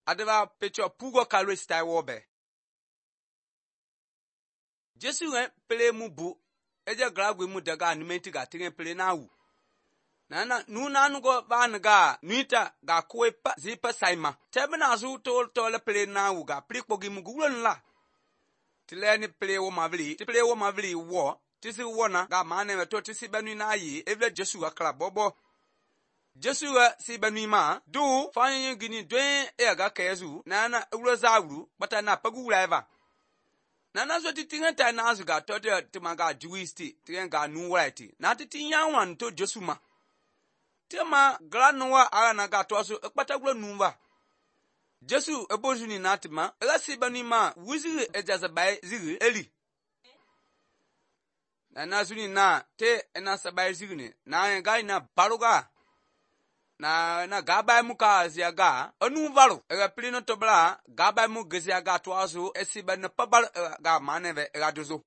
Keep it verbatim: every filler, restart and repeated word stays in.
adeva pecho pugo kalwe stai wobe. Jesu en pele mu bu eja gragwe mu daga numenti ga tingen pele na wu. Nana nuna nugo ban ga nuita ga kwe pa zipa saima. Tebe na zu tol tole pele na wu ga prikpogi mu gulon la. Tile ni pele wo mavili, ti pele wo mavili wo, tisi wona ga mane weto tisi benu na yi evle Jesu ga kla bobo. Jesu ga si benu ma du fanyi gini dwen e ga kezu nana ulo zawru bata na pagu eva. Nana so titinga ta na azu ga tote timaga juisti tinga nu right. Na titinya wan to Jesu ma. Tema granwa ara na ga to so ekpata gulo nuwa. Jesu ebozuni natima ela si benu ma wuziri ejazabai ziri eli. Na zuni na te ena sabai zigni na ga ina baruga na na gaba muka ziaga anu varu ega plino tobla gaba mu geziaga twazo esiba na pabal ga maneve ga dozo.